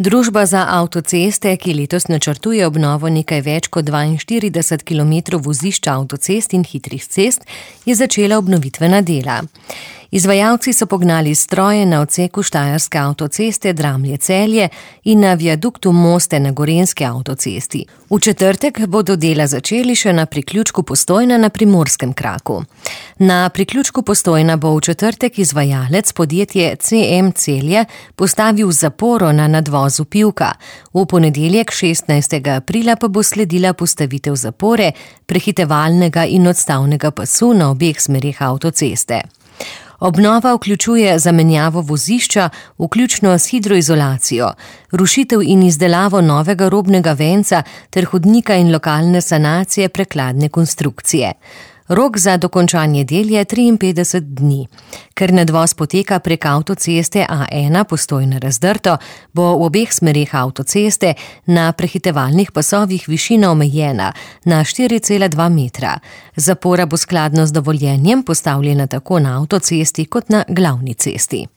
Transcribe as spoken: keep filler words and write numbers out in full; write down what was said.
Družba za avtoceste, ki letos načrtuje obnovo nekaj več kot dvainštirideset kilometrov vozišč avtocest in hitrih cest, je začela obnovitvena dela. Izvajalci so pognali stroje na odseku štajerske avtoceste Dramlje-Celje in na viaduktu Moste na gorenjski avtocesti. V četrtek bodo dela začeli še na priključku Postojna na primorskem kraku. Na priključku Postojna bo v četrtek izvajalec podjetje C M Celje postavil zaporo na nadvozu Pivka. V ponedeljek šestnajstega aprila pa bo sledila postavitev zapore, prehitevalnega in odstavnega pasu na obeh smereh avtoceste. Obnova vključuje zamenjavo vozišča, vključno s hidroizolacijo, rušitev in izdelavo novega robnega venca ter hodnika in lokalne sanacije prekladne konstrukcije. Rok za dokončanje del je triinpetdeset dni. Ker nadvoz poteka prek avtoceste A ena Postojna-Razdrto, bo v obeh smereh avtoceste na prehitevalnih pasovih višina omejena na štiri cela dva metra. Zapora bo skladno z dovoljenjem postavljena tako na avtocesti kot na glavni cesti.